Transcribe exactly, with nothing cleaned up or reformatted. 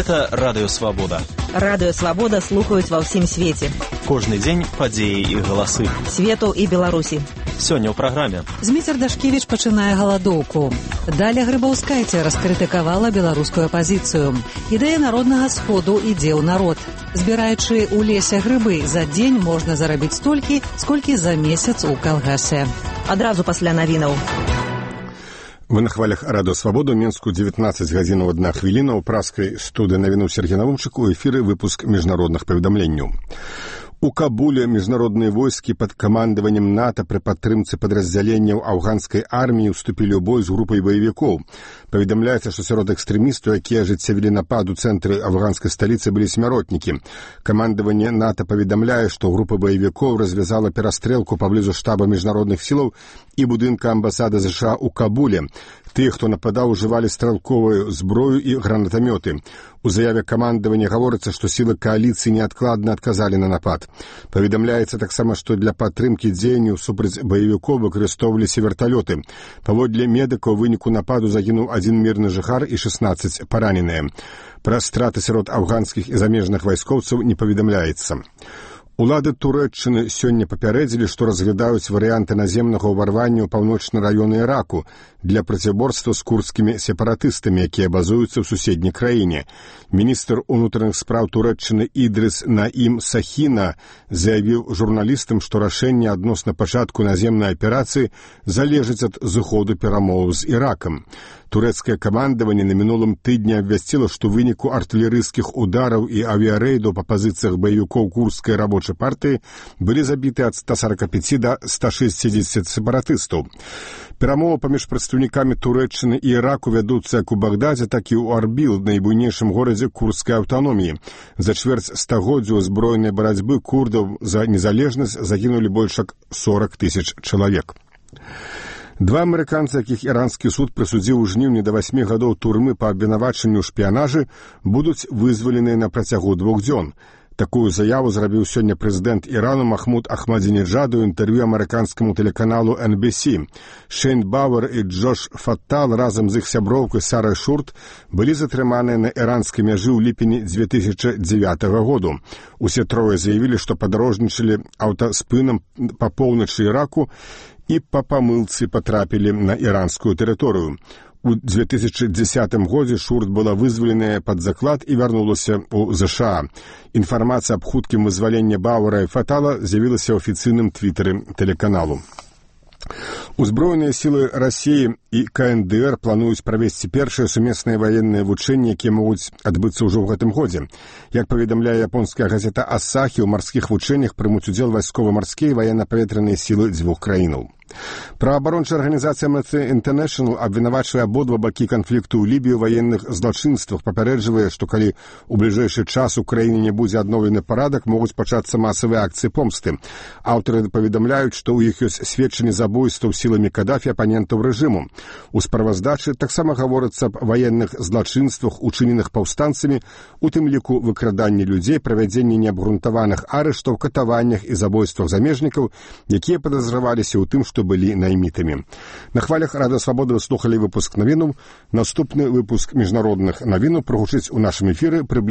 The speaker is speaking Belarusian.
Гэта Радыё Свабода. Радыё Свабода слухаюць ва ўсім свеце. Кожны дзень падзеі і галасы. Свету і Беларусі. Сёння ў праграме. Зміцер Дашкевіч пачынае галадоўку. Даля Грыбаўскайце раскрытыкавала беларускую апазіцыю. Ідэя народнага сходу ідзе ў народ. Збіраючы ў лесе грыбы, за дзень можна зарабіць столькі, сколькі за месяц у калгасе. Адразу пасля навінаў. Вы на хвалях Радыё Свабода, Мінску, дзевятнаццаць гадзінаў адна хвіліна, ў праскай студыі навіну Сергей Навумчык, у эфіры выпуск міжнародных паведамленняў. У Кабуле міжнародныя войскі пад камандаваннем НАТО пры падтрымцы падраздзяленняў афганскай арміі ўступілі ў бой з групай баевікоў. Паведамляецца, што сярод экстрэмістаў, якія ажыццявілі напад у цэнтры афганскай сталіцы, былі смяротнікі. Камандаванне НАТО паведамляе, што група баевікоў развязала перастрэлку паблізу штаба міжнародных сілаў і будынка амбасады США ў Кабуле. Тыя, хто нападаў, ужывалі стралковую зброю і гранатамёты. У заяве камандавання гаворыцца, што сілы кааліцыі неадкладна адказалі на напад. Паведамляецца таксама, што для падтрымкі дзеянняў супраць баевікоў выкарыстоўваліся верталёты. Паводле медыкаў, у выніку нападу загінуў адзін мірны жыхар і шаснаццаць параненыя. Пра страты сярод афганскіх і замежных вайскоўцаў не паведамляецца. Улады Турэччыны сёння папярэдзілі, што разглядаюць варыянты наземнага ўварвання ў паўночны раён Іраку для проціборства з курдскімі сепаратыстамі, якія базуюцца ў суседняй краіне. Міністр унутраных спраў Турэччыны Ідрыс Наім Сахіна заявіў журналістам, што рашэнне адносна пачатку наземнай аперацыі залежыць ад зыходу перамоваў з Іракам. Турэцкае камандаванне на мінулым тыдні абвясціла, што ў выніку артылерыйскіх удараў і авіярэйдаў па пазіцыях баевікоў курдскай рабочай партыі былі забіты ад ста сорока пяці да ста шэсцідзесяці сепаратыстаў. Перамовы паміж прадстаўнікамі Турэччыны і Іраку вядуцца як у Багдадзе, так і ў Арбіл, найбуйнейшым горадзе курдскай аўтаноміі. За чвэрць стагоддзя узброенай барацьбы курдаў за незалежнасць загінулі больш як сорок тысяч чалавек. Два амерыканцы, якіх іранскі суд прысудзіў у жніўні да васьмі гадоў турмы па абвінавачанню ў шпіянажы, будуць вызваленыя на працягу двух дзён. Такую заяву зрабіў сёння прэзідэнт Ірану Махмуд Ахмадзінеджад у інтэрв'ю амерыканскаму тэлеканалу эн би си. Шейн Бауэр і Джош Фаттал разам з іх сяброўкай Сарай Шурт былі затрыманыя на іранскай мяжы ў ліпені дзве тысячы дзевятага году. Усе трое заявілі, што падарожнічалі аўтаспынам па поўначы Іраку і па памылцы патрапілі на іранскую тэрыторыю. У дзве тысячы дзесятым годзе Шурт была вызваленая пад заклад і вярнулася ў ЗША. Інфармацыя аб хуткім вызваленні Бауэра і Фаттала з'явілася ў афіцыйным твітары тэлеканалу. Узброеныя сілы Расіі і ка эн дэ эр плануюць правесці першыя сумесныя ваенныя вучэнні, якія могуць адбыцца ўжо ў гэтым годзе. Як паведамляе японская газета Асахі, у марскіх вучэннях прымуць удзел вайскова-марскія і ваенна-паветраныя сілы дзвюх краінаў. Праваабарончая арганізацыя Amnesty International абвінавачвае абодва бакі канфлікту ў Лібіі ў ваенных злачынствах, папярэджвае, што калі ў бліжэйшы час у краіне не будзе адноўлены парадак, могуць пачацца масавыя акцыі помсты. Аўтары паведамляюць, што ў іх ёсць сведчанні забойстваў сіламі Кадафі апанентаў рэжыму. У справаздачы таксама гаворыцца аб ваенных злачынствах, учыненых паўстанцамі, у тым ліку выкраданні людзей, правядзенні неабгрунтаваных арыштаў, катаваннях і забойствах замежнікаў, якія падазраваліся ў тым, што былі наймітамі. На хвалях Радыё Свабода вы слухалі выпуск навінаў. Наступны выпуск міжнародных навінаў прагучыць у нашым эфіры прыблізна